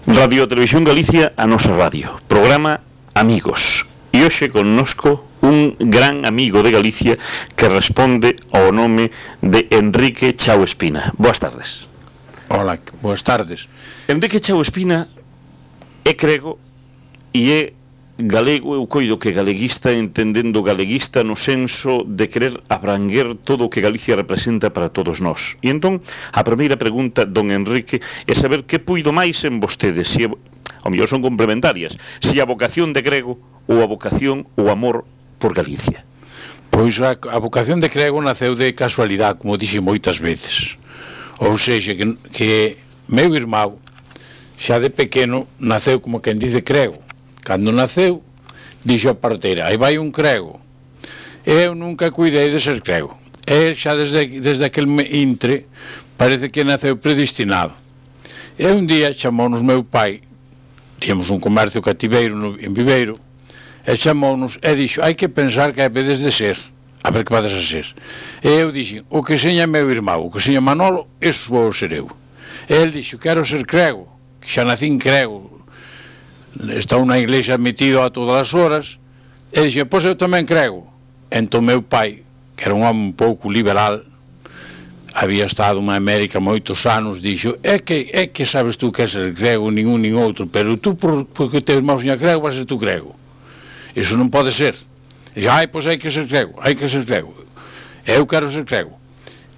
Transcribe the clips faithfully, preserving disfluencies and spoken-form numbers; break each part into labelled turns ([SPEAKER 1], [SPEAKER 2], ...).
[SPEAKER 1] Radio Televisión Galicia, a nosa radio. Programa Amigos. E hoxe connosco un gran amigo de Galicia que responde ao nome de Enrique Chao Espina. Boas tardes.
[SPEAKER 2] Hola, boas tardes.
[SPEAKER 1] Enrique Chao Espina é crego e é galego. Eu coido que galeguista, entendendo galeguista no senso de querer abranguer todo o que Galicia representa para todos nós. E entón, a primeira pregunta, don Enrique, é saber que puido máis en vostedes, se, ao mellor son complementarias, se a vocación de grego ou a vocación ou amor por Galicia.
[SPEAKER 2] Pois a, a vocación de grego naceu de casualidade, como dixi moitas veces. Ou seja, que, que meu irmão xa de pequeno naceu como quen dice crego. Cando naceu, dixo a parteira, aí vai un crego. Eu nunca cuidei de ser crego. E xa desde, desde aquel intre parece que naceu predestinado. E un día chamounos meu pai, tíamos un comercio cativeiro no, en Viveiro, e chamounos e dixo, hai que pensar que vedes de ser, a ver que vades a ser. E eu dixo, o que seña meu irmão, o que seña Manolo, eso vou ser eu. E el dixo, quero ser crego, que xa nacín crego, estou na iglesia metido a todas as horas, e dixo, pois eu tamén crego. Entón meu pai, que era un home un pouco liberal, había estado na América moitos anos, dixo, é que, é que sabes tú que é ser grego, ningún nin outro, pero tú, por, porque o teu irmão seña grego, vas ser tú grego. Iso non pode ser. Dixo, ai, pois hai que ser grego, hai que ser grego. Eu quero ser grego.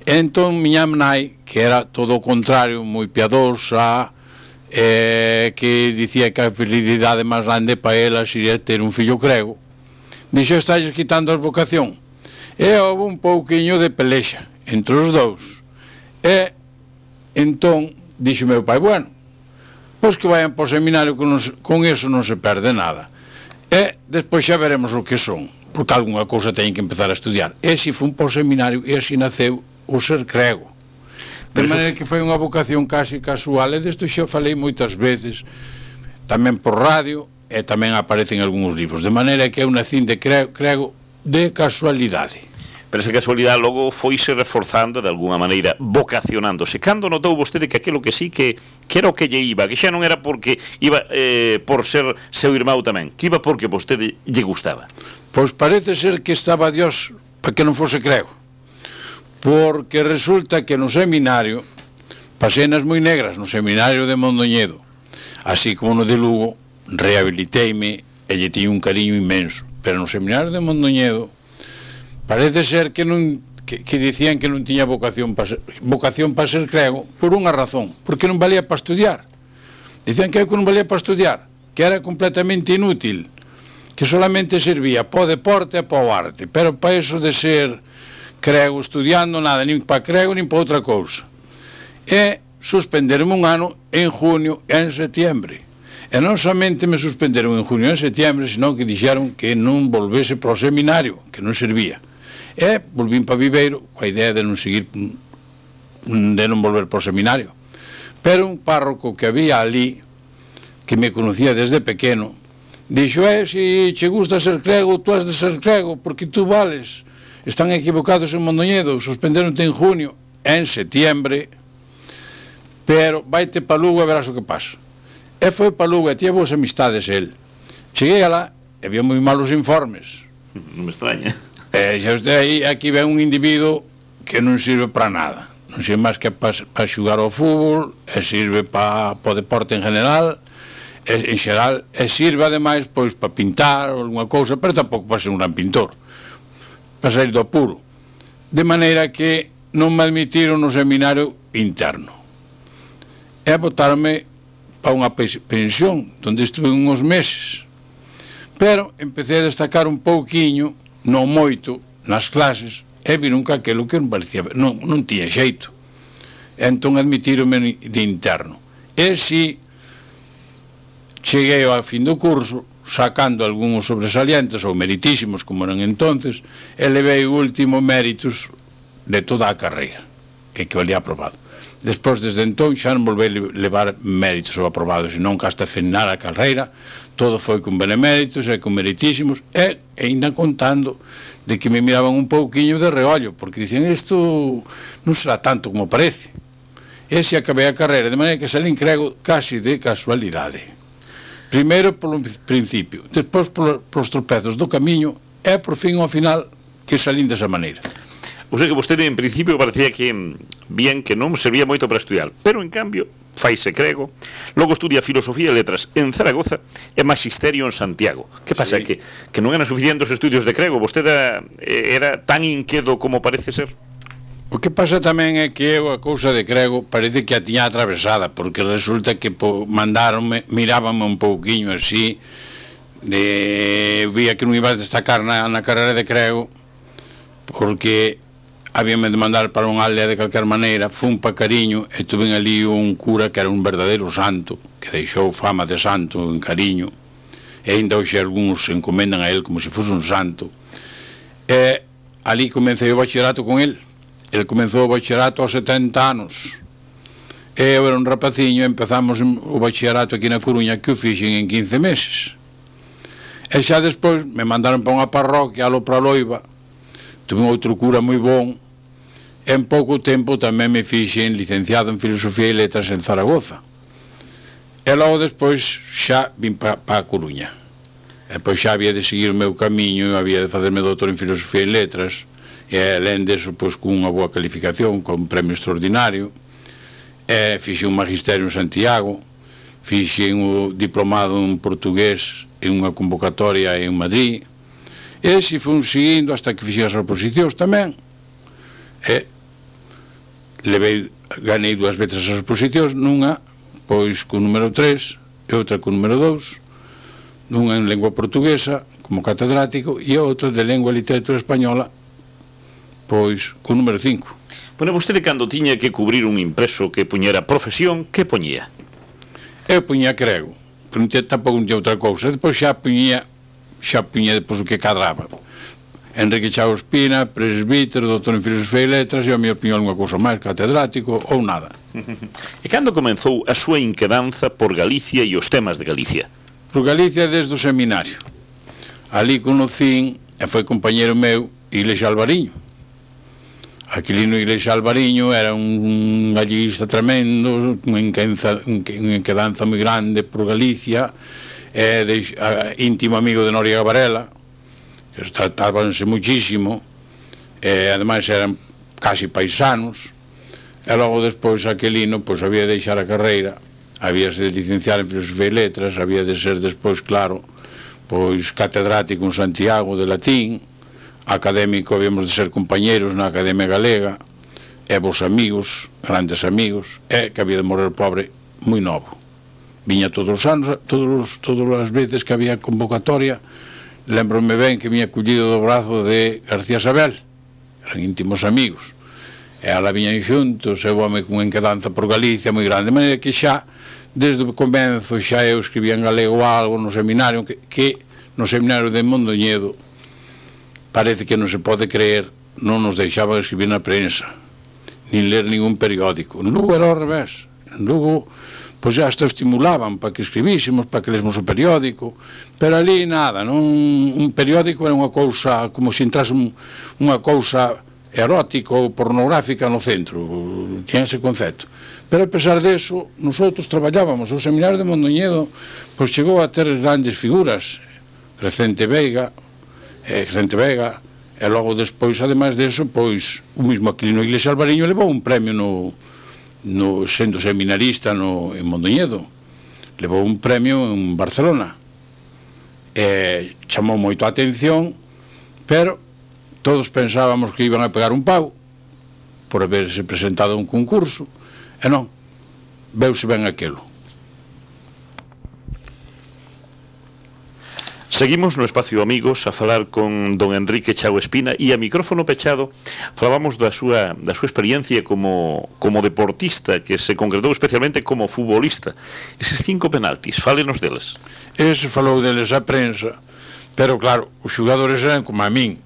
[SPEAKER 2] Entón, miña nai, que era todo o contrario, moi piadosa, eh, que dicía que a felicidade máis grande para ela sería ter un fillo grego, dixo, estáis quitando a vocación. E houve un pouquiño de pelexa entre os dous. E entón dixo meu pai, bueno, pois que vayan para o seminario, con, nos, con eso non se perde nada. E despois xa veremos o que son, porque algunha cousa teñen que empezar a estudiar. E si fun para o seminario e así naceu o ser crego. De maneira que foi unha vocación casi casual, e desto xa falei moitas veces, tamén por radio, e tamén aparecen algúns libros, de maneira que eu nacín de crego, crego de casualidade.
[SPEAKER 1] Pero esa casualidade logo foise reforzando de alguna maneira, vocacionándose. Cando notou vostede que aquilo que sí que, que era o que lle iba, que xa non era porque iba eh, por ser seu irmão tamén, que iba porque vostede lle gustaba?
[SPEAKER 2] Pois parece ser que estaba Dios para que non fose crego, porque resulta que no seminario, pasenas moi negras no seminario de Mondoñedo, así como no de Lugo, rehabiliteime e lle tiño un cariño inmenso, pero no seminario de Mondoñedo parece ser que non que, que dicían que non tiña vocación para ser, vocación para ser crego por unha razón, porque non valía para estudiar. Dicían que eu non valía para estudiar, que era completamente inútil, que solamente servía para o deporte e para o arte, pero para eso de ser crego estudiando nada, nin para crego nin para outra cousa. E suspenderon un ano en junio e en setiembre. E non somente me suspenderon en junio e en setiembre, senón que dixeron que non volvese para o seminario, que non servía. E volvín para Viveiro coa idea de non seguir, de non volver para o seminario. Pero un párroco que había ali, que me conocía desde pequeno, dixo, eh, se che gusta ser crego, tú has de ser crego, porque tú vales. Están equivocados en Mondoñedo, suspenderonte en junio e en setiembre, pero vaite para Lugo e verás o que pasa. E foi para Lugo e tiña boas amistades el. Cheguei alá e había moi malos informes.
[SPEAKER 1] Non me extraña.
[SPEAKER 2] E xa de aí, aquí ven un individuo que non sirve para nada. Non sirve máis que para, para xugar ao fútbol, e sirve para, para o deporte en general, e, en xeral, e sirve ademais pois, para pintar ou alguna cousa, pero tampouco para ser un gran pintor, para sair do apuro. De maneira que non me admitiron no seminario interno. E botaronme para unha pensión, onde estuve uns meses. Pero empecé a destacar un pouquiño, non moito, nas clases, e viron que aquilo que non parecía, non, non tiña xeito. E entón admitíronme de interno. E si cheguei ao fin do curso, sacando algúns sobresalientes ou meritísimos como eran entonces, e levei o último méritos de toda a carreira, que equivalía aprobado. Despois, desde entón, xa non volvei levar méritos ou aprobados, senón que hasta final a carreira todo foi con beneméritos e con meritísimos, e ainda contando de que me miraban un pouquiño de reollo, porque dicían, isto non será tanto como parece. E se acabei a carreira, de maneira que salín crego casi de casualidade. Primeiro polo principio, despois polos tropezos do camiño, e por fin ao final que salín desa maneira.
[SPEAKER 1] O sea que vostede en principio parecía que bien que non servía moito para estudiar, pero en cambio faise crego, logo estudia filosofía e letras en Zaragoza e magisterio en Santiago. Que pasa? Sí. Que, que non eran suficientes os estudios de crego? Vostede era tan inquedo como parece ser?
[SPEAKER 2] O que pasa tamén é que eu a cousa de crego parece que a tiña atravesada, porque resulta que po, mandaronme, mirábame un pouquiño así, de, vía que non iba a destacar na, na carreira de crego, porque habíame de mandar para unha aldea de calquer maneira, fun pa Cariño e tuve ali un cura que era un verdadeiro santo, que deixou fama de santo en Cariño, e ainda hoxe algúns se encomendan a él como se fose un santo, e ali comecei o bachillerato con él. Ele comenzou o bachillerato aos setenta anos. E eu era un rapaciño, empezamos o bachillerato aquí na Coruña, que o fixen en quince meses. E xa despois me mandaron para unha parroquia, alo para Loiva, tuve outro cura moi bon, e en pouco tempo tamén me fixen licenciado en Filosofía e Letras en Zaragoza. E logo despois xa vim para pa a Coruña. E pois xa había de seguir o meu camiño, había de facerme doutor en Filosofía e Letras, e alén deso, pois, cunha boa calificación, con un premio extraordinario, e fixe un magisterio en Santiago, fixe un diplomado en portugués en unha convocatoria en Madrid, e se fun seguindo hasta que fixe as oposicións tamén, e levei, ganei dúas veces as oposicións, nunha, pois, con número tres, e outra con número dous, nunha en lengua portuguesa, como catedrático, e outra de lengua e literatura española, pois, con número cinco.
[SPEAKER 1] Bueno, vostede cando tiña que cubrir un impreso que puñera profesión, que poñía?
[SPEAKER 2] Eu puñía crego, pero non tampouco non tinha outra cousa. Depois xa puñía, xa puñía depois o que cadraba. Enrique Chao Espina, presbítero, doutor en Filosofía e Letras, e a mi opinión unha cousa máis, catedrático ou nada.
[SPEAKER 1] E cando comenzou a súa inquedanza por Galicia e os temas de Galicia?
[SPEAKER 2] Por Galicia desde o seminario. Ali conocín, e foi compañero meu, Iglesias Alvariño. Aquilino Iglesias Alvariño era un gallista tremendo, unha inquedanza moi grande por Galicia, e de, a, íntimo amigo de Noriega Varela, que tratábanse muchísimo, e ademais eran casi paisanos, e logo despois Aquilino pois, había de deixar a carreira, había de licenciar en Filosofía e Letras, había de ser despois, claro, pois catedrático en Santiago de latín, académico, habíamos de ser compañeros na Academia Galega, e vos amigos, grandes amigos, e que había de morrer pobre moi novo. Viña todos os anos, todos, todas as veces que había convocatoria, lembrome ben que viña collido do brazo de García Sabel, eran íntimos amigos, e ala viñan xuntos, e o home con enquedanza por Galicia moi grande, de maneira que xa, desde o comenzo, xa eu escribía en galego algo no seminario, que, que no seminario de Mondoñedo, parece que non se pode creer, non nos deixaban escribir na prensa, nin ler ningún periódico. En Lugo era ao revés. En Lugo, pois já hasta estimulaban para que escribísemos, para que lesmos o periódico, pero ali nada, non, un periódico era unha cousa, como se entrase un, unha cousa erótica ou pornográfica no centro, tinha ese concepto. Pero a pesar deso, nosotros traballábamos, o seminario de Mondoñedo, pois chegou a ter grandes figuras, Crecente Veiga, e Crecente Vega, e logo despois, ademais deso, pois, o mismo Aquilino Iglesias Alvariño levou un premio no, no sendo seminarista no, en Mondoñedo, levou un premio en Barcelona, e chamou moito a atención, pero todos pensábamos que iban a pegar un pau por haberse presentado a un concurso, e non, veuse ben aquilo.
[SPEAKER 1] Seguimos no Espacio Amigos a falar con don Enrique Chao Espina, e a micrófono pechado falábamos da súa, da súa experiencia como, como deportista, que se concretou especialmente como futbolista. Eses cinco penaltis, fálenos deles.
[SPEAKER 2] Ese falou deles a prensa, pero claro, os xogadores eran como a min,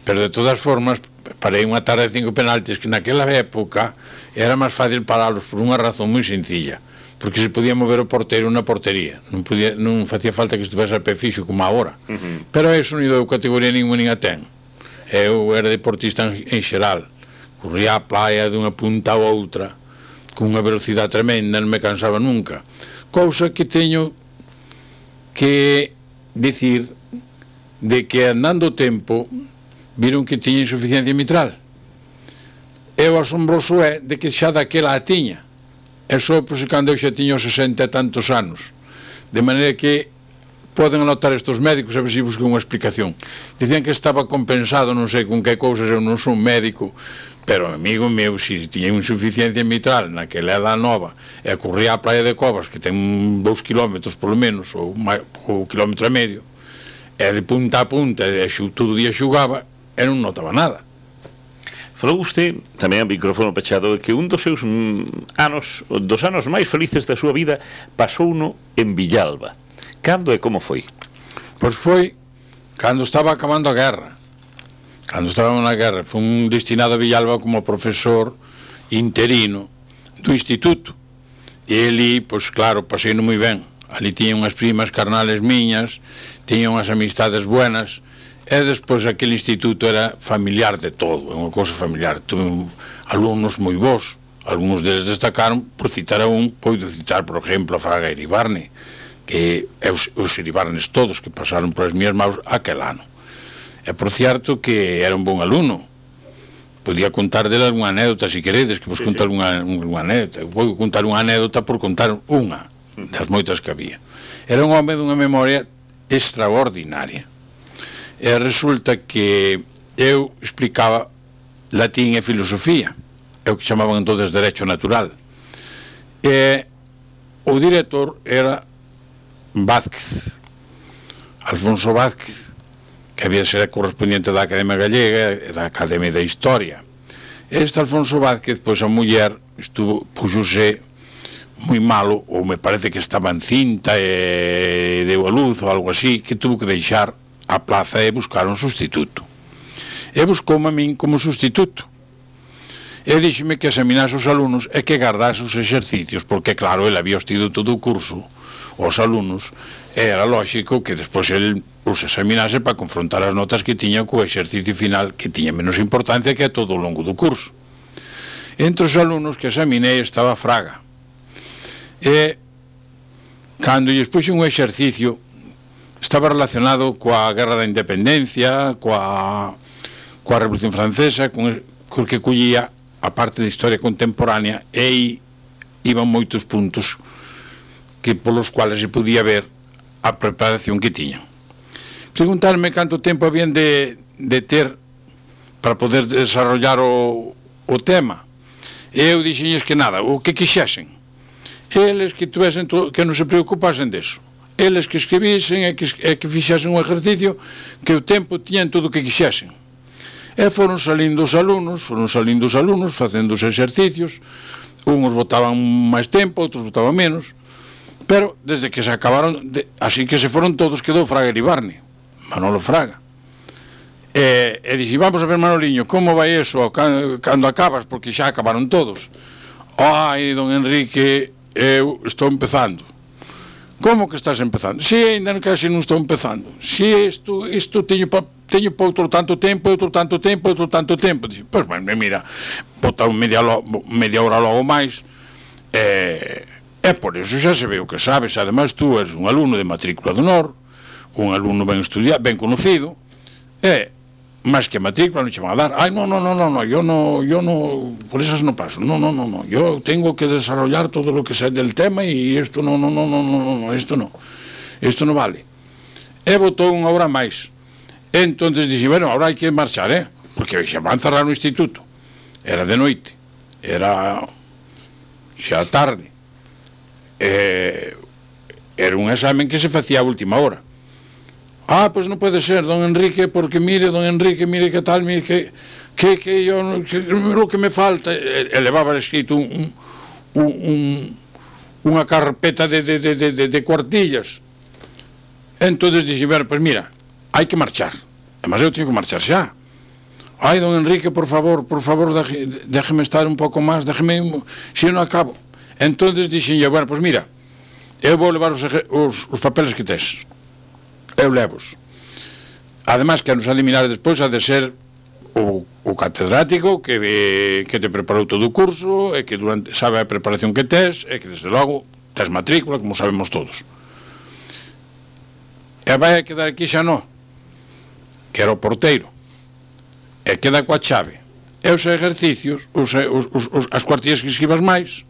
[SPEAKER 2] pero de todas formas parei unha tarde de cinco penaltis que naquela época era máis fácil paralos por unha razón moi sencilla, porque se podía mover o porteiro na portería, non, podía, non facía falta que estivese a pé fixo como agora. Uh-huh. Pero eso non deu categoría ninguna nin a ten. Eu era deportista en, en xeral, corría a playa dunha punta a outra, cunha velocidade tremenda, non me cansaba nunca, cousa que teño que dicir de que andando o tempo viron que tiña insuficiencia mitral, e o asombroso é de que xa daquela a tiña, e só por se cando eu xa tiña os sesenta e tantos anos, de maneira que poden anotar estes médicos a ver se buscan unha explicación. Dicían que estaba compensado, non sei con que cousas, eu non sou médico, pero amigo meu, se tiña insuficiencia mitral naquela edad nova e corría á playa de Covas, que ten dous kilómetros polo menos, ou un kilómetro e medio, e de punta a punta, e todo o día xugaba, e non notaba nada.
[SPEAKER 1] Falou usted, tamén a micrófono pechado, que un dos seus anos, dos anos máis felices da súa vida pasou uno en Villalba. Cando e como foi?
[SPEAKER 2] Pois foi cando estaba acabando a guerra. Cando estábamos na guerra, foi un destinado a Villalba como profesor interino do instituto. E ali, pois claro, pasei moi ben. Ali tiña unhas primas carnales miñas, tiña unhas amistades buenas, e despois aquele instituto era familiar de todo, é unha cousa familiar. Tuve alumnos moi bons, algúns deles destacaron, por citar a un, podo citar, por exemplo, a Fraga Iribarne, que é os, os Iribarnes todos que pasaron por as miñas maus aquel ano. É por certo que era un bon alumno. Podía contar dele algunha anécdota, se queredes, que vos sí, contar sí. Unha, unha anécdota. Vou contar unha anécdota por contar unha das moitas que había. Era un home dunha memoria extraordinaria. E resulta que eu explicaba latín e filosofía, é o que chamaban entonces derecho natural. E o director era Vázquez, Alfonso Vázquez, que había de ser correspondiente da Academia Gallega e da Academia da Historia. Este Alfonso Vázquez, pois a muller estuvo, puxose moi malo, ou me parece que estaba en cinta e deu a luz ou algo así, que tuvo que deixar a plaza e buscar un sustituto. E buscoume a min como sustituto. E díxeme que examinase os alumnos e que guardase os exercicios, porque claro, ele había tido todo o curso, os alumnos, e era lógico que despois ele os examinase para confrontar as notas que tiña co exercicio final, que tiña menos importancia que a todo o longo do curso. Entre os alumnos que examinei estaba Fraga. E cando lles puxe un exercicio, estaba relacionado coa Guerra da Independencia, coa, coa Revolución Francesa, con, con que collía a parte de historia contemporánea, e iban moitos puntos que polos cuales se podía ver a preparación que tiñan. Preguntarme canto tempo habían de, de ter para poder desarrollar o, o tema. E eu dixenlles que nada, o que quixesen. Eles que tuvesen todo, que non se preocupasen deso. Eles que escribisen e que, e que fixasen un exercicio, que o tempo tiñan todo o que quixasen. E foron salindo os alumnos, foron salindo os alumnos, facendo os exercicios, uns botaban máis tempo, outros botaban menos, pero desde que se acabaron, de, así que se foron todos, quedou Fraga Iribarne, Manolo Fraga. E, e dixi, vamos a ver, Manoliño, como vai eso cando, cando acabas, porque xa acabaron todos. Ai, don Enrique, eu estou empezando. Como que estás empezando? Si, ainda casi non estou empezando. Si, isto, isto teño pa, teño pa outro tanto tempo, outro tanto tempo, outro tanto tempo. Dixo, pois, pues, mira, botar media, media hora logo máis, e, e por eso xa se ve o que sabes. Ademais, tú eres un alumno de matrícula de honor, un alumno ben estudiado, ben conocido, e, máis que matrícula, non che van a dar. Ai, non, non, non, non, yo no, yo no, por esas no paso. No, no, no, no, yo tengo que desarrollar todo lo que sé del tema y esto no, no, no, no, no, no, esto no, esto no vale. E botou unha hora máis. E entonces dixi, bueno, ahora hai que marchar, eh, porque xa van cerrar o instituto. Era de noite, era xa tarde. E, era un examen que se facía a última hora. Ah, pois non pode ser, don Enrique, porque mire, don Enrique, mire que tal, mire que que, que yo, que, lo que me falta, e, e levaba escrito un, un, un, unha carpeta de, de, de, de, de cuartillas. Entonces dixi, bueno, pois mira, hai que marchar, además eu teño que marchar xa. Ai, don Enrique, por favor, por favor, deje, déjeme estar un pouco máis, déjeme, se non acabo. Entonces dixi, bueno, pois mira, eu vou levar os, os, os papeles que tes. Eu levos. Ademais, que nos eliminar despois, ha de ser o, o catedrático que, que te preparou todo o curso e que durante, sabe a preparación que tes e que desde logo tes matrícula, como sabemos todos. E vai a quedar aquí xa no, que era o porteiro, e queda coa chave. E os exercicios, os, os, os, as cuartillas que escribas máis,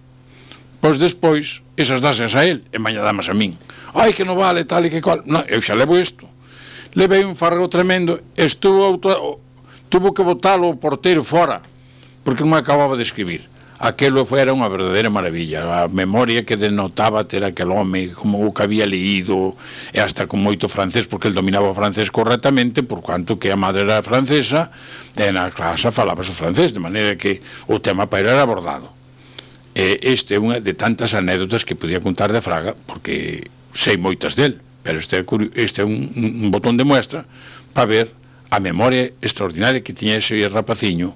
[SPEAKER 2] pois despois, esas dasas a él, e maña damas a min. Ai, que non vale, tal e que cual. Non, eu xa levo isto. Levei un fargo tremendo, estuvo auto, tuvo que botalo o porteiro fora, porque non me acababa de escribir. Aquelo foi, era unha verdadeira maravilla, a memoria que denotaba ter aquel home, como o que había leído, e hasta con moito francés, porque el dominaba o francés correctamente, por cuanto que a madre era francesa, e na clase falaba o francés, de maneira que o tema para era abordado. E este é unha de tantas anécdotas que podía contar de Fraga, porque sei moitas del, pero este é, este é un, un botón de muestra para ver a memoria extraordinaria que tiña ese rapaciño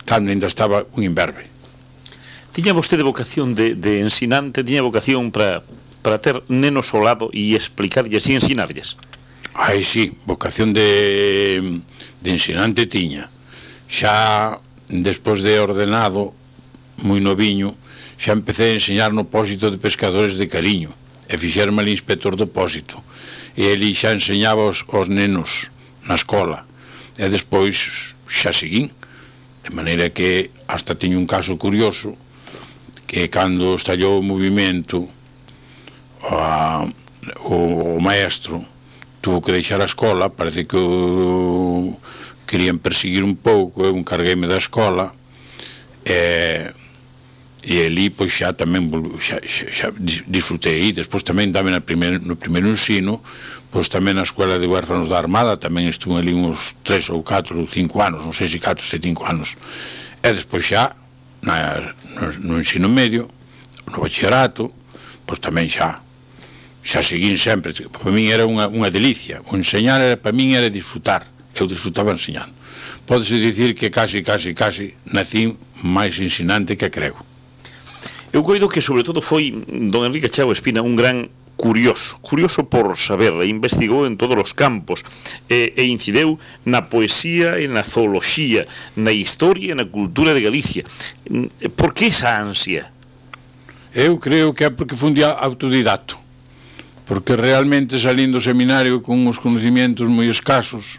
[SPEAKER 2] cando ainda estaba un imberbe.
[SPEAKER 1] Tiña vostede vocación de, de ensinante, tiña vocación para para ter nenos ao lado e explicarlles e ensinarlles?
[SPEAKER 2] Ai, sí, vocación de, de ensinante tiña. Xa, despois de ordenado, moi noviño, xa empecé a enseñar no pósito de pescadores de Cariño, e fixerme ali inspector do pósito. E ele xa enseñaba os, os nenos na escola. E despois xa seguín. De maneira que hasta teño un caso curioso, que cando estallou o movimento a, o, o maestro tuvo que deixar a escola, parece que o querían perseguir un pouco, eu encargueime da escola e, e ali pois xa tamén xa, xa, xa disfrutei, despois tamén tamén no primeiro, no primeiro ensino, pois tamén na escola de huérfanos da Armada tamén estuve ali uns tres ou catro ou cinco anos, non sei se catro ou cinco anos, e despois xa Na, no, no ensino medio, no bachillerato, pois tamén xa xa seguín sempre. Para min era unha, unha delicia. O enseñar era, para min era disfrutar. Eu disfrutaba enseñando. Pódese dicir que casi, casi, casi nacín máis ensinante que creo.
[SPEAKER 1] Eu coido que sobre todo foi don Enrique Chao Espina un gran curioso, curioso por saber, e investigou en todos os campos, e, e incideu na poesía e na zooloxía, na historia e na cultura de Galicia. Por que esa ansia?
[SPEAKER 2] Eu creo que é porque fui un autodidacto, porque realmente salindo do seminario con uns conocimientos moi escasos,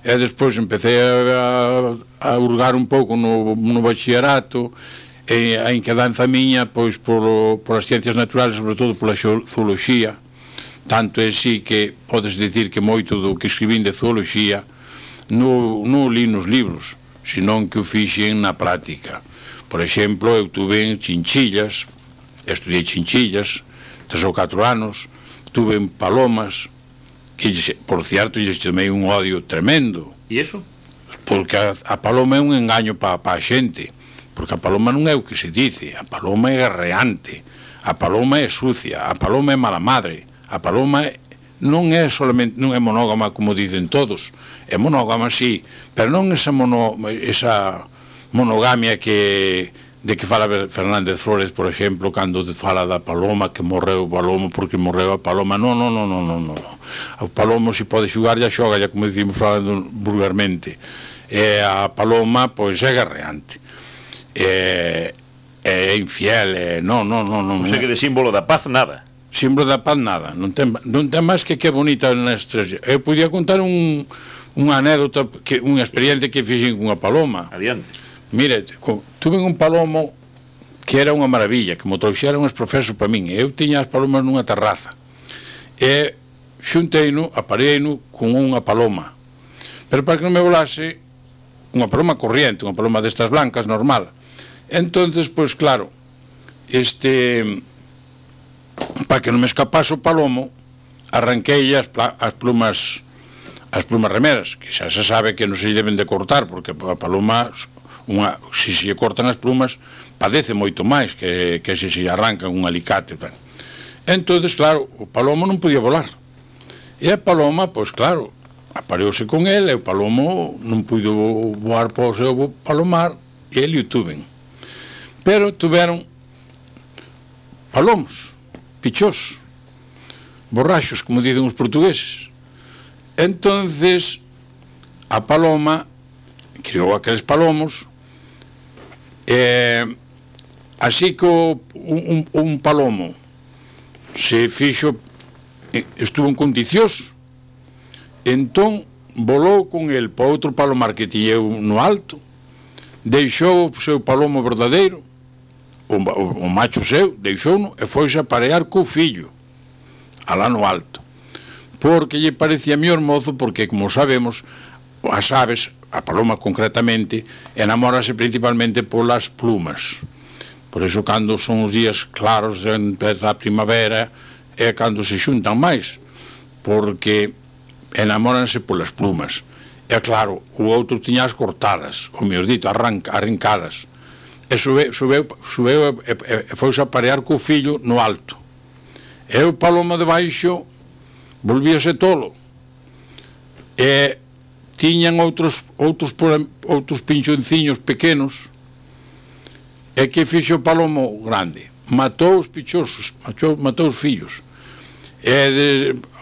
[SPEAKER 2] e despois empecé a, a hurgar un pouco no, no bachillerato, e a inquedanza miña pois por, por as ciencias naturales, sobre todo pola zooloxía, tanto é así que podes dicir que moito do que escribín de zooloxía non no li nos libros, senón que o fixen na práctica. Por exemplo, eu tuve en chinchillas, estudiei chinchillas tres ou catro anos, tuve en palomas, que por cierto lles chamei un odio tremendo.
[SPEAKER 1] E iso?
[SPEAKER 2] Porque a, a paloma é un engaño para pa a xente, porque a paloma non é o que se dice, a paloma é guerreante, a paloma é sucia, a paloma é mala madre, a paloma é, non é solamente, non é monógama como dicen todos, é monógama sí, pero non esa, mono, esa monogamia que de que fala Fernández Flores, por exemplo, cando fala da paloma, que morreu o paloma porque morreu a paloma. Non, non, non, non, non, non. O palomo se pode xugar, ya xoga, ya como dicimos falando vulgarmente. E a paloma, pois, é guerreante. É, é infiel, é, non, non, non, non.
[SPEAKER 1] O sea que de símbolo da paz, nada.
[SPEAKER 2] Símbolo da paz, nada. Non ten, non ten máis que que bonita nestas. Eu podía contar un, unha anécdota, que, unha experiencia que fixen cunha paloma.
[SPEAKER 1] Adiante.
[SPEAKER 2] Mire, tuve un palomo que era unha maravilla, que mo trouxeron os profesores para min. Eu tiña as palomas nunha terraza. E xunteino, apareino con unha paloma. Pero para que non me volase, unha paloma corriente, unha paloma destas blancas, normal. Entonces, pois claro, este, para que non me escapase o palomo, arranquei as, as plumas as plumas remeras, que xa se sabe que non se deben de cortar, porque a paloma, unha, se se cortan as plumas, padece moito máis que, que se se arrancan un alicate. Entonces, claro, o palomo non podía volar. E a paloma, pois claro, apareuse con ele, e o palomo non puido voar para o seu palomar, e ele o tuven. Pero tuveron palomos, pichós, borrachos, como dicen os portugueses. Entonces, a paloma criou aqueles palomos, e así que o, un, un palomo se fixo, estuvo en condicións, entón volou con el para outro palomar que tiñeu no alto, deixou o seu palomo verdadeiro, o, o, o macho seu, deixou-no e foise a parear co fillo alá no alto, porque lle parecía mellor mozo, porque como sabemos as aves, a paloma concretamente, enamórase principalmente polas plumas. Por iso cando son os días claros, empeza a primavera, é cando se xuntan máis, porque enamóranse polas plumas. E claro, o outro tiña as cortadas, o mellor dito, arranca, arrincadas. E subeu, subeu, subeu e, e, e fouse a parear co fillo no alto. E o paloma de baixo volvíase tolo. E tiñan outros, outros, outros pinchonciños pequenos. E que fixo o palomo grande? Matou os pichosos, matou, matou os fillos. E de,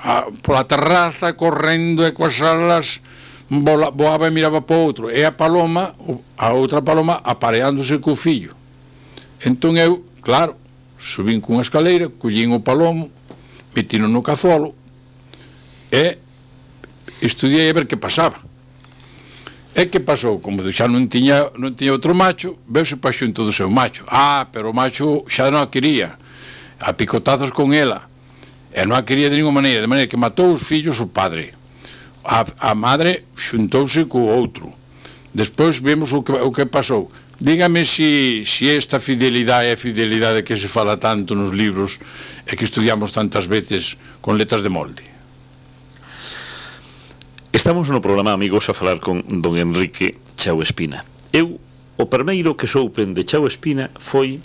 [SPEAKER 2] a, pola terraza, correndo e coas alas, vola, voaba e miraba para outro. E a paloma, a outra paloma, apareándose co fillo. Entón eu, claro, subín cunha escaleira, collín o palomo, metino no cazolo, e estudiei a ver que pasaba. E que pasou? Como xa non tiña, non tiña outro macho, veuse pa xunto do seu macho. Ah, pero o macho xa non a quería, a picotazos con ela, e non a quería de ninguna maneira, de maneira que matou os fillos o padre. A, a madre xuntouse co outro. Despois vemos o que, o que pasou. Dígame si, si esta fidelidade é a fidelidade que se fala tanto nos libros e que estudiamos tantas veces con letras de molde.
[SPEAKER 1] Estamos no programa, amigos, a falar con don Enrique Chao Espina. Eu, o primeiro que soupen de Chao Espina foi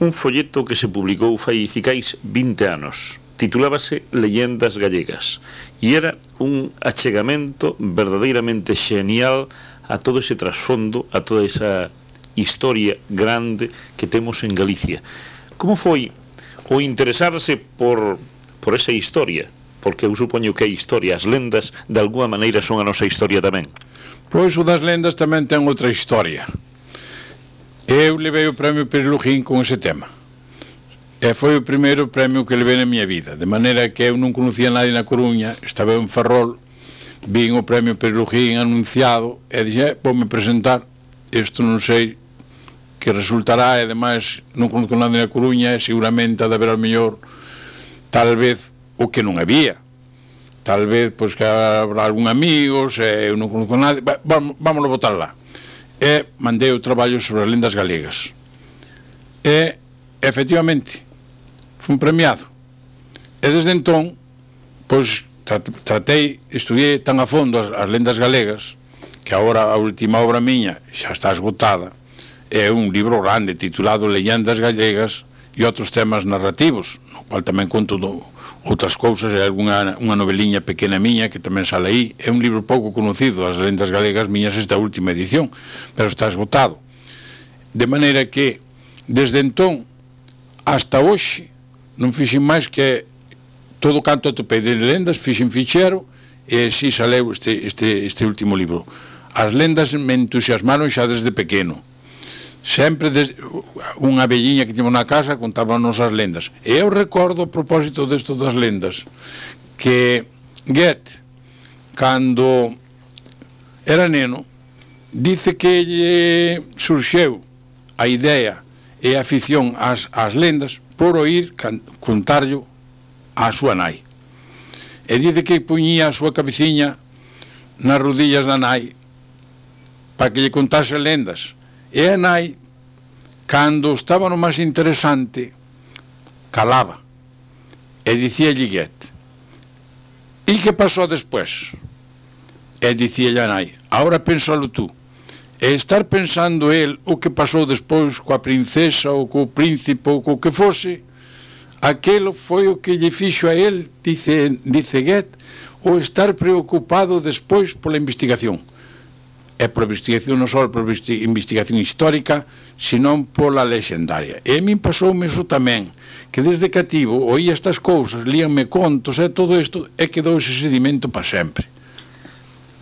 [SPEAKER 1] un folleto que se publicou fai cicais vinte anos. Titulábase Leyendas Gallegas e era un achegamento verdadeiramente xenial a todo ese trasfondo, a toda esa historia grande que temos en Galicia. Como foi o interesarse por, por esa historia? Porque eu supoño que a historia, as lendas, de alguma maneira son a nosa historia tamén.
[SPEAKER 2] Pois o das lendas tamén ten outra historia. Eu levei o premio Perilujín con ese tema. E foi o primeiro premio que levei na miña vida, de maneira que eu non conocía nadie na Coruña, estaba en Ferrol, vin o premio Perilujín anunciado e dixen, voume presentar, isto non sei que resultará, e ademais non conozco nadie na Coruña, e seguramente ha de haber ao mellor, tal vez, o que non había, tal vez pois que habrá algún amigos, e eu non conozco nadie, vamos, vámonos botar lá. E mandei o traballo sobre as lendas galegas e efectivamente fui premiado, e desde entón pois tratei, estudiei tan a fondo as, as lendas galegas que agora a última obra miña xa está esgotada, é un libro grande titulado Leyendas Gallegas e outros temas narrativos, no cual tamén conto do outras cousas, e alguna unha noveliña pequena miña que tamén sale aí. É un libro pouco conocido, as lendas galegas miñas, esta última edición, pero está esgotado. De maneira que desde entón hasta hoxe non fixen máis que todo canto atopei de lendas, fixen fichero e si saleu este, este, este último libro. As lendas me entusiasmaron xa desde pequeno. Sempre des, unha velliña que temos na casa contábanos as lendas. E eu recordo a propósito desto das lendas que Goethe, cando era neno, dice que lle surxeu a idea e a afición ás, ás lendas por oír contarlo á súa nai. E dice que puñía a súa cabeciña nas rodillas da nai para que lle contase lendas. E a nai, cando estaba no máis interesante, calaba e dicíalle Goethe, e que pasou despois? E dicíalle a nai, agora pénsalo tú. E estar pensando el o que pasou despois coa princesa ou co príncipe ou co que fose, aquelo foi o que lle fixo a el, dice, dice Goethe, o estar preocupado despois pola investigación. É pola investigación non só pola investigación histórica, senón pola lexendaria. E a min pasoume iso tamén, que desde cativo oía estas cousas, líanme contos e todo isto, e quedou ese sedimento para sempre.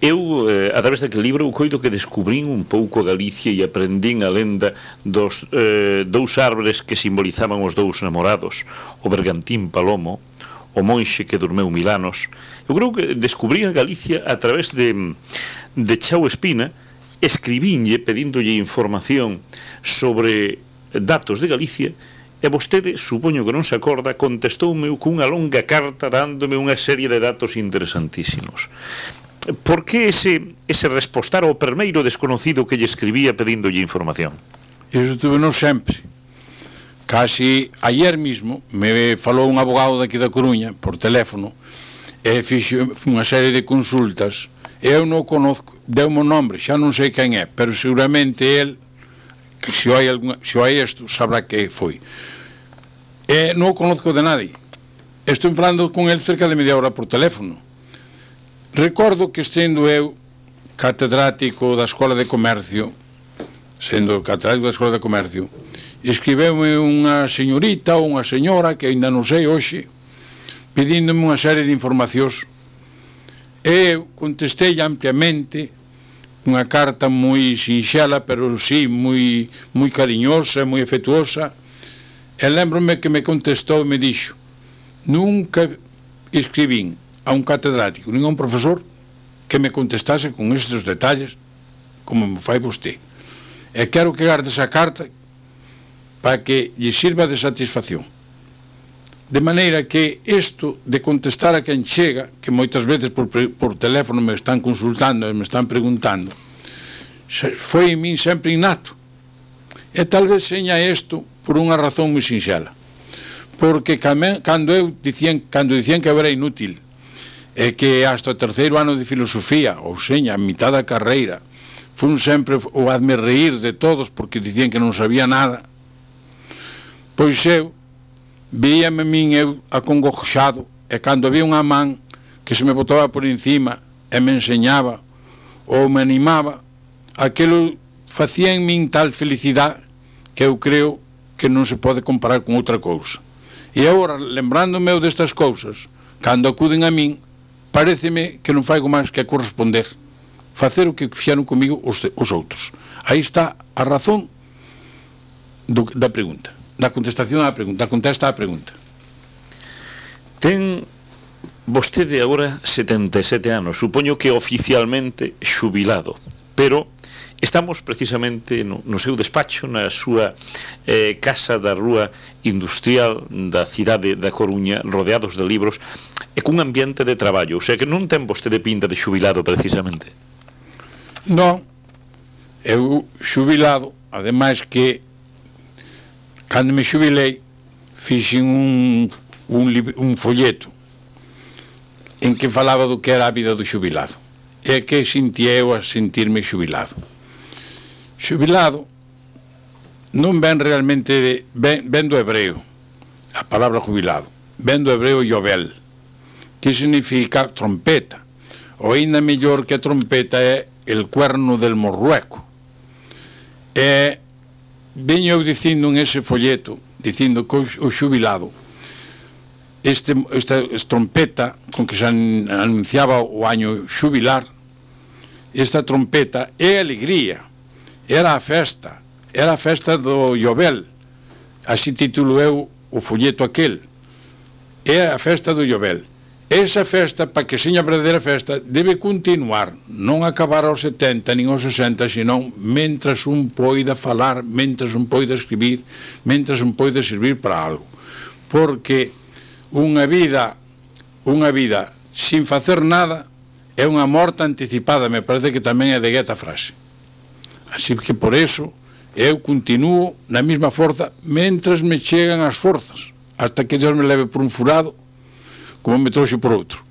[SPEAKER 1] eu, eh, a través daquele libro, eu coido que descubrín un pouco a Galicia e aprendín a lenda dos eh, dous árbores que simbolizaban os dous namorados, o bergantín palomo, o monxe que dormeu mil anos. Eu creo que descubrí a Galicia a través de, de Chao Espina, escribínlle, pedíndolle información sobre datos de Galicia, e vostede, supoño que non se acorda, contestoume cunha longa carta dándome unha serie de datos interesantísimos. Por que ese, ese respostar ao primeiro desconocido que lle escribía pedíndolle información?
[SPEAKER 2] Iso tuve non sempre. Casi ayer mismo me falou un abogado daqui da Coruña por teléfono e fixo unha serie de consultas. Eu non o conozco, deu-me o nombre, xa non sei quen é, pero seguramente el, que se hai, alguna, se hai isto, sabrá que foi. E non o conozco de nadie. Estou falando con el cerca de media hora por teléfono. Recordo que sendo eu catedrático da Escola de Comercio, sendo catedrático da Escola de Comercio, escribeume unha señorita ou unha señora, que ainda non sei hoxe, pedíndome unha serie de informacións. E eu contestei ampliamente unha carta moi sinxela, pero sí, moi, moi cariñosa, moi afectuosa. E lembrome que me contestou e me dixo: nunca escribín a un catedrático, nin a un profesor que me contestase con estes detalles como me fai vostede. E quero que garde esa carta para que lle sirva de satisfacción. De maneira que isto de contestar a quen chega, que moitas veces por, por teléfono me están consultando e me están preguntando, foi en min sempre innato. E tal vez seña isto por unha razón moi sinxela, porque cando eu dicían, cando dicían que eu era inútil e que hasta o terceiro ano de filosofía, ou seña, a mitad da carreira, fun sempre o hazme reír de todos porque dicían que non sabía nada, pois eu víame min eu acongoxado, e cando había unha man que se me botaba por encima e me enseñaba ou me animaba, aquilo facía en min tal felicidade que eu creo que non se pode comparar con outra cousa. E agora, lembrándome eu destas cousas, cando acuden a min, pareceme que non faigo máis que corresponder, facer o que fixeron comigo os, os outros. Aí está a razón do, da pregunta, da contestación á pregunta, da contesta á pregunta.
[SPEAKER 1] Ten vostede agora setenta e sete anos, supoño que oficialmente xubilado, pero estamos precisamente no, no seu despacho, na súa eh, casa da Rúa Industrial da cidade da Coruña, rodeados de libros e cun ambiente de traballo, o sea que non ten vostede pinta de xubilado precisamente.
[SPEAKER 2] Non, eu xubilado, ademais que cando me xubilei fixen un, un, un folleto en que falaba do que era a vida do xubilado e que sentía eu a sentirme xubilado. Xubilado non ven realmente, ven, ven do hebreo, a palabra jubilado, ven do hebreo yovel, que significa trompeta, ou ainda mellor que a trompeta é el cuerno del morrueco. E veño eu dicindo en ese folleto, dicindo que o xubilado, este, esta trompeta con que se anunciaba o año xubilar, esta trompeta é alegría, era a festa, era a festa do Llobel, así titulo eu o folleto aquel, é a festa do Llobel. Esa festa, para que seña a verdadeira festa, debe continuar, non acabar aos setenta nin aos sesenta, senón mentras un poida falar, mentras un poida escribir, mentras un poida servir para algo. Porque unha vida, unha vida sin facer nada é unha morte anticipada, me parece que tamén é de Goethe a frase. Así que por eso eu continuo na mesma forza mentras me chegan as forzas, hasta que Dios me leve por un furado como me trouxe por outro.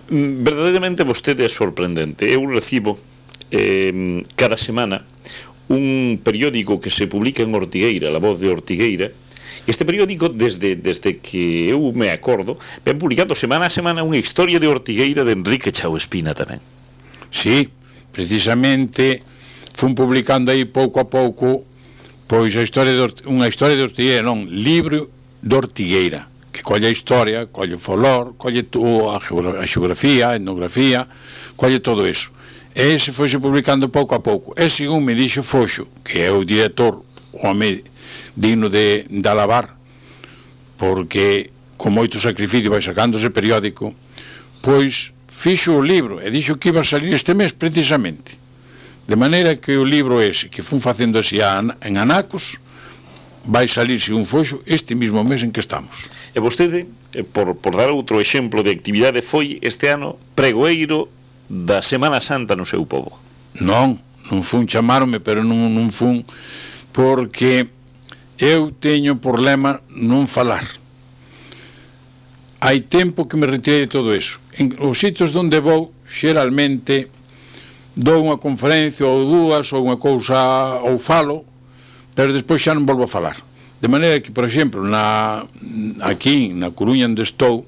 [SPEAKER 1] Verdadeiramente vostede é sorprendente. Eu recibo eh, cada semana un periódico que se publica en Ortigueira, La Voz de Ortigueira. Este periódico, desde, desde que eu me acordo, ven publicando semana a semana unha historia de Ortigueira de Enrique Chao Espina tamén.
[SPEAKER 2] Sí, precisamente fun publicando aí pouco a pouco pois a historia de, unha historia de Ortigueira, non, libro de Ortigueira, que colle a historia, colle o folclore, colle a xeografía, a etnografía, colle todo iso. E ese foise publicando pouco a pouco. E según me dixo Foxo, que é o director, o home digno de, de alabar, porque con moito sacrificio vai sacando ese periódico, pois fixo o libro e dixo que iba a salir este mes precisamente, de maneira que o libro ese que fun facendo así en Anacos vai salir, según Foxo, este mismo mes en que estamos.
[SPEAKER 1] E vostede, por, por dar outro exemplo de actividade, foi este ano pregoeiro da Semana Santa no seu pobo.
[SPEAKER 2] Non, non fun chamarme, pero non, non fun, porque eu teño problema non falar. Hai tempo que me retirei de todo eso. En os sitios onde vou, xeralmente dou unha conferencia ou dúas ou unha cousa ou falo, pero despois xa non volvo a falar. De maneira que, por exemplo, na, aquí na Coruña onde estou,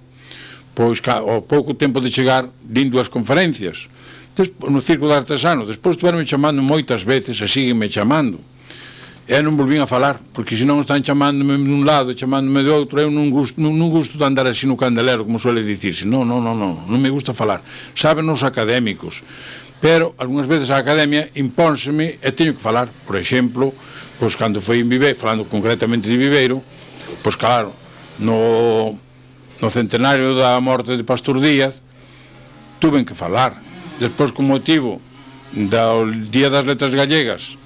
[SPEAKER 2] pois ao pouco tempo de chegar din dúas conferencias despois, no Círculo de Artesanos, despois estuveronme chamando moitas veces e síguenme chamando. E non volvín a falar, porque senón están chamándome dun lado, chamándome de outro, eu non gusto, non, non gusto de andar así no candelero, como suele dicirse, non, non, non, non, non me gusta falar. Saben os académicos, pero algunhas veces a academia impónseme e teño que falar. Por exemplo, pois cando foi en Viveiro, falando concretamente de Viveiro, pois claro, no, no centenario da morte de Pastor Díaz, tuven que falar. Despois, con motivo do Día das Letras Gallegas,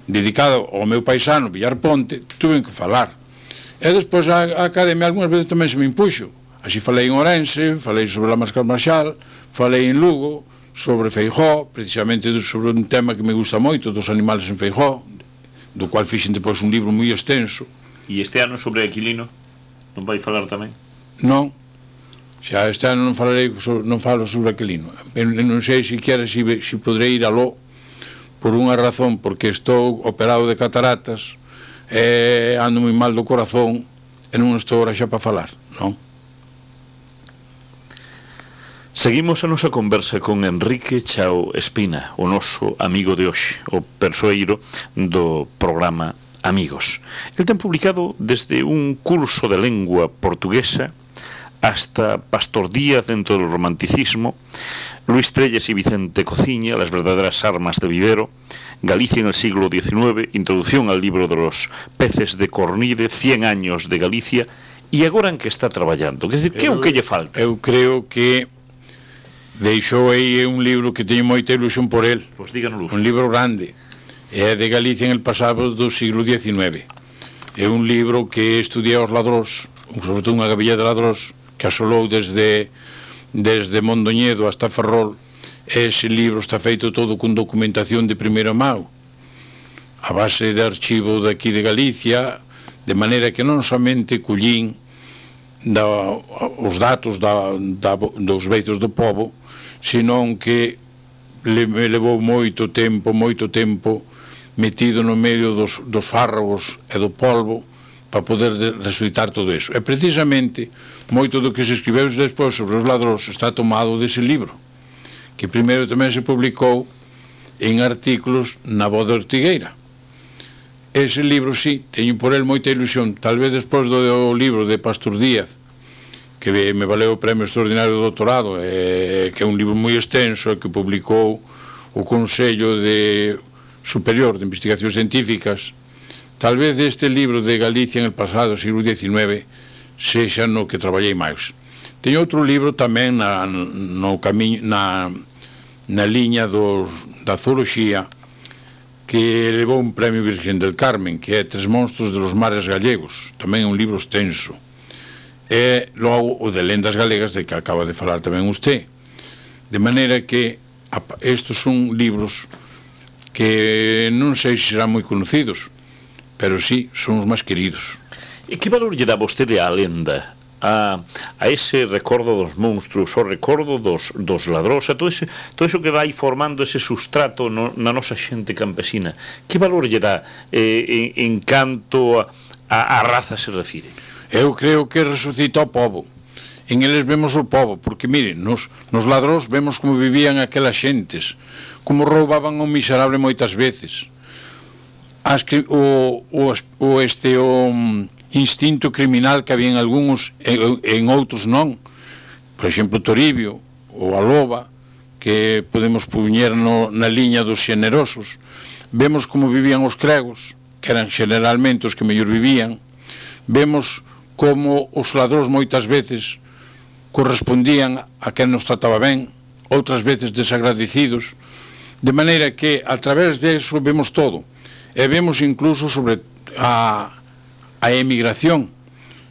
[SPEAKER 2] dedicado ao meu paisano Villar Ponte, tuve que falar. E despois a, a academia algunhas veces tamén se me impuxo. Así falei en Ourense, falei sobre a Máscara Marxal, falei en Lugo, sobre Feijóo, precisamente sobre un tema que me gusta moito, dos animales en Feijóo, do cual fixen depois un libro moi extenso.
[SPEAKER 1] E este ano sobre Aquilino, non vai falar tamén?
[SPEAKER 2] Non, xa este ano non falarei, non falo sobre Aquilino. Non sei siquiera se si, si podrei ir aló, por unha razón, porque estou operado de cataratas e ando moi mal do corazón e non estou ahora xa para falar, non?
[SPEAKER 1] Seguimos a nosa conversa con Enrique Chao Espina, o noso amigo de hoxe, o persoeiro do programa Amigos. El ten publicado desde un curso de lengua portuguesa hasta Pastor Díaz dentro del romanticismo, Luis Trelles y Vicente Cociña, Las verdaderas armas de Vivero, Galicia en el siglo diecinueve, Introducción al libro de los peces de Cornide, Cien años de Galicia, e agora en que está traballando? Que, que é o que lle falta?
[SPEAKER 2] Eu creo que deixou aí un libro que teño moita ilusión por el.
[SPEAKER 1] Pois díganos.
[SPEAKER 2] Un libro grande, é de Galicia en el pasado do siglo diecinueve. É un libro que estudia os ladróns, sobre todo unha gabilla de ladróns, que asolou desde, desde Mondoñedo hasta Ferrol. Ese libro está feito todo con documentación de primeira mão, a base de archivo daqui de Galicia, de maneira que non somente collín da, os datos da, da, dos veitos do pobo, senón que le, me levou moito tempo, moito tempo metido no medio dos, dos fárragos e do polvo para poder resucitar todo eso. E precisamente moito do que se escribeu despois sobre os ladróns está tomado dese libro, que primeiro tamén se publicou en artículos na Voz de Ortigueira. Ese libro, sí, teño por el moita ilusión, tal vez despois do libro de Pastor Díaz, que me valeu o premio extraordinario do doutorado, eh, que é un libro moi extenso que publicou o Consello de Superior de Investigacións Científicas. Tal vez este libro de Galicia en el pasado, siglo diecinueve, sexa no que traballei máis. Teño outro libro tamén na, no camiño, na, na liña dos, da zooloxía, que levou un premio Virgen del Carmen, que é Tres monstros de los mares gallegos, tamén é un libro extenso. E logo o de lendas galegas, de que acaba de falar tamén usted. De maneira que estes son libros que non sei se serán moi conocidos, pero sí, son os máis queridos.
[SPEAKER 1] E que valor lle dá vostede á lenda? A, a ese recordo dos monstruos, o recordo dos, dos ladróns, a todo, ese, todo eso que vai formando ese sustrato no, na nosa xente campesina? Que valor lle dá eh, en, en canto a, a, a raza se refire?
[SPEAKER 2] Eu creo que resucita o povo. En eles vemos o povo, porque miren, nos, nos ladróns vemos como vivían aquelas xentes, como roubaban o miserable moitas veces. As que, o, o, o este o instinto criminal que había en algúns e en outros non. Por exemplo, Toribio ou a loba, que podemos puñer no, na liña dos xenerosos. Vemos como vivían os cregos, que eran generalmente os que mellor vivían. Vemos como os ladróns moitas veces correspondían a quen nos trataba ben, outras veces desagradecidos, de maneira que a través de eso vemos todo, e vemos incluso sobre a, a emigración,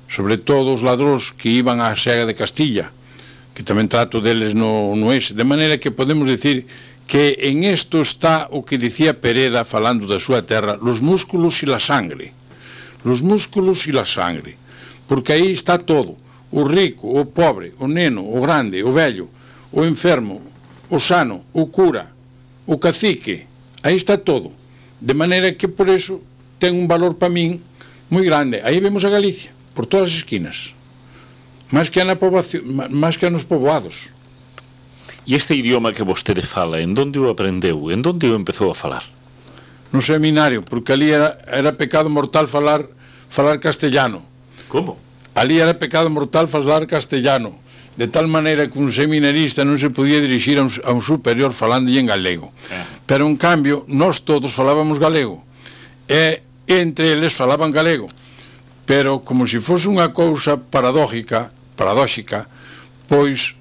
[SPEAKER 2] sobre todo os ladróns que iban á Sega de Castilla, que tamén trato deles no, no ese, de maneira que podemos decir que en isto está o que dicía Pereda falando da súa terra, los músculos e la sangre, los músculos e la sangre, porque aí está todo, o rico, o pobre, o neno, o grande, o vello, o enfermo, o sano, o cura, o cacique, aí está todo, de maneira que por eso ten un valor para min moi grande. Aí vemos a Galicia, por todas as esquinas, máis que, na poboación, máis que nos poboados.
[SPEAKER 1] E este idioma que vostede fala, en donde o aprendeu? En donde o empezou a falar?
[SPEAKER 2] No seminario, porque ali era, era pecado mortal falar, falar castellano.
[SPEAKER 1] Como?
[SPEAKER 2] Ali era pecado mortal falar castellano, de tal maneira que un seminarista non se podía dirixir a un, a un superior falándolle en galego. Eh. Pero, en cambio, nós todos falábamos galego, e entre eles falaban galego, pero como se fose unha cousa paradójica, paradóxica, pois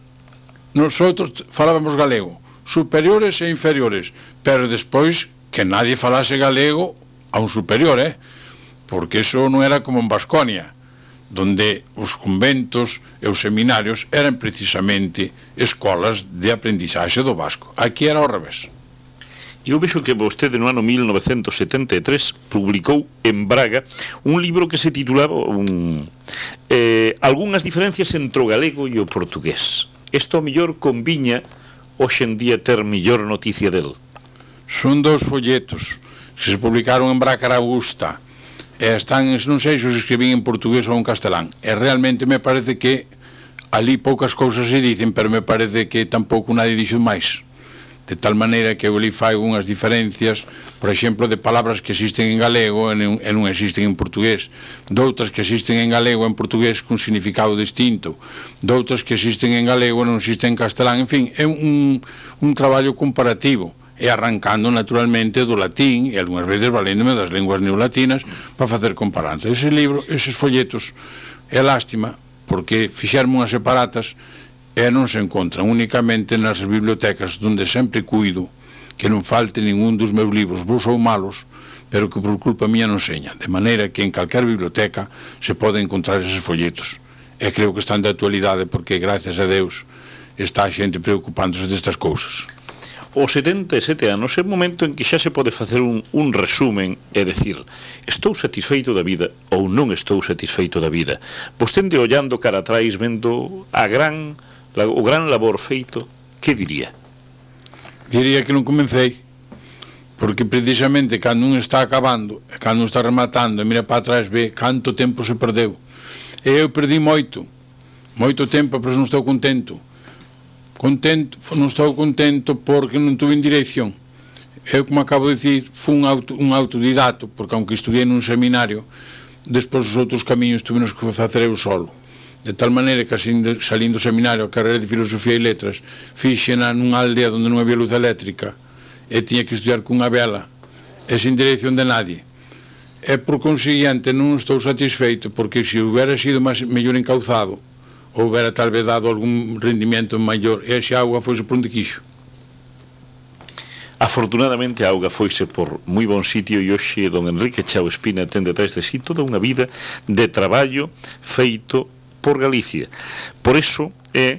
[SPEAKER 2] nosotros falábamos galego, superiores e inferiores, pero despois que nadie falase galego a un superior, eh? Porque eso non era como en Vasconia, donde os conventos e os seminarios eran precisamente escolas de aprendizaxe do vasco. Aquí era ao revés.
[SPEAKER 1] Eu vexo que vostede no ano mil novecentos setenta e tres publicou en Braga un libro que se titulaba un, eh, Algúnas diferencias entre o galego e o portugués. Isto ao mellor conviña hoxe en día ter mellor noticia del.
[SPEAKER 2] Son dous folletos que se publicaron en Braga Augusta. E están, non sei se os escribín en portugués ou en castelán, e realmente me parece que ali poucas cousas se dicen, pero me parece que tampouco nadie dixo máis, de tal maneira que eu ali fai unhas diferencias, por exemplo, de palabras que existen en galego e non, e non existen en portugués, doutras que existen en galego e en portugués con significado distinto, doutras que existen en galego e non existen en castelán, en fin, é un, un traballo comparativo, e arrancando naturalmente do latín e algunhas veces valéndome das linguas neolatinas para facer comparanza. Ese libro, eses folletos, é lástima porque fixerme unhas separatas e non se encontran únicamente nas bibliotecas onde sempre cuido que non falte ningún dos meus libros, bons ou malos, pero que por culpa mía non seña, de maneira que en calquer biblioteca se pode encontrar eses folletos, e creo que están de actualidade porque gracias a Deus está a xente preocupándose destas cousas.
[SPEAKER 1] Os setenta e sete anos é o momento en que xa se pode facer un, un resumen e decir, estou satisfeito da vida ou non estou satisfeito da vida. Vostede ollando cara atrás, vendo a gran, la, o gran labor feito, que diría?
[SPEAKER 2] Diría que non comecei, porque precisamente cando un está acabando e cando un está rematando e mira para atrás ve canto tempo se perdeu. E eu perdi moito, moito tempo, pero non estou contento. Contento, non estou contento porque non tuve en dirección. Eu, como acabo de dicir, fui un, auto, un autodidato, porque aunque estudiei nun seminario, despois os outros camiños tuve nos que facer eu solo. De tal maneira que salindo do seminario a carreira de Filosofía e Letras fixena nunha aldea onde non había luz eléctrica e tiña que estudiar cunha vela e sin dirección de nadie. E por consiguiente non estou satisfeito, porque se houbera sido máis, mellor encauzado, houbera tal vez dado algún rendimento maior, e esa auga foise por onde quixo.
[SPEAKER 1] Afortunadamente a auga foise por moi bon sitio e hoxe don Enrique Chao Espina ten detrás de sí toda unha vida de traballo feito por Galicia. Por iso é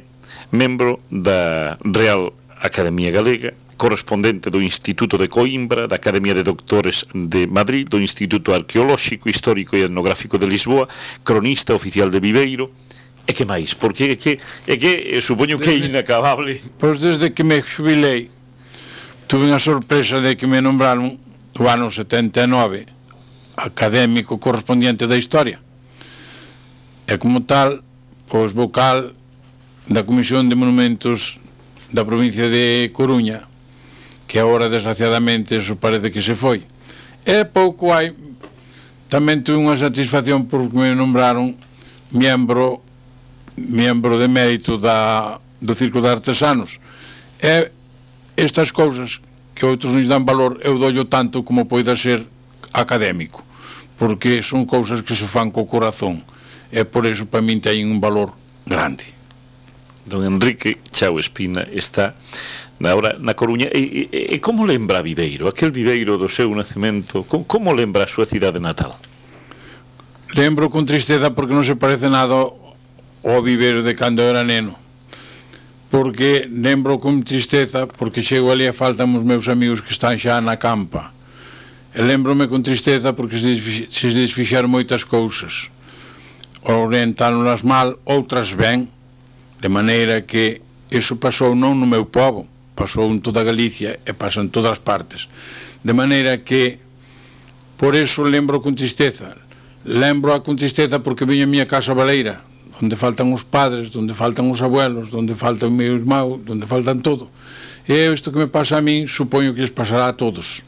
[SPEAKER 1] membro da Real Academia Galega, correspondente do Instituto de Coimbra, da Academia de Doctores de Madrid, do Instituto Arqueolóxico, Histórico e Etnográfico de Lisboa, cronista oficial de Viveiro. E que máis? Porque é que, é que supoño que é inacabable.
[SPEAKER 2] Pois desde que me xubilei tuve unha sorpresa de que me nombraron o ano setenta e nove académico correspondiente da Historia, e como tal, pois vocal da Comisión de Monumentos da provincia de Coruña, que agora desgraciadamente eso parece que se foi. E pouco hai tamén tuve unha satisfacción porque me nombraron miembro miembro de mérito da, do Círculo de Artesanos. E estas cousas que outros nos dan valor, eu doullo tanto como poida ser académico, porque son cousas que se fan co corazón, e por eso para min teñen un valor grande.
[SPEAKER 1] Don Enrique Chao Espina está na, hora, na Coruña. E, e, e como lembra Viveiro, aquel Viveiro do seu nacemento? Como, como lembra a súa cidade natal?
[SPEAKER 2] Lembro con tristeza porque non se parece nada ao Viveiro de cando era neno, porque lembro con tristeza porque chego ali e faltan os meus amigos que están xa na campa, e lembrome con tristeza porque se, desfix, se desfixaron moitas cousas, orientaronlas mal, outras ben, de maneira que iso pasou non no meu pobo, pasou en toda Galicia e pasa en todas partes, de maneira que por eso lembro con tristeza. Lembro a con tristeza porque viña a miña casa baleira, onde faltan os padres, onde faltan os abuelos, onde falta o meu irmão, onde faltan todo. E isto que me pasa a min, supoño que les pasará a todos,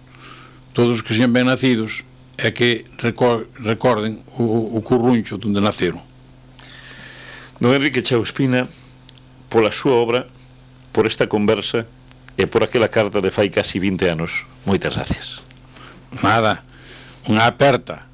[SPEAKER 2] todos que sean ben nacidos, é que recorden o, o curruncho onde naceron.
[SPEAKER 1] Don Enrique Chao Espina, pola súa obra, por esta conversa e por aquela carta de fai casi vinte anos, moitas gracias.
[SPEAKER 2] Nada, unha aperta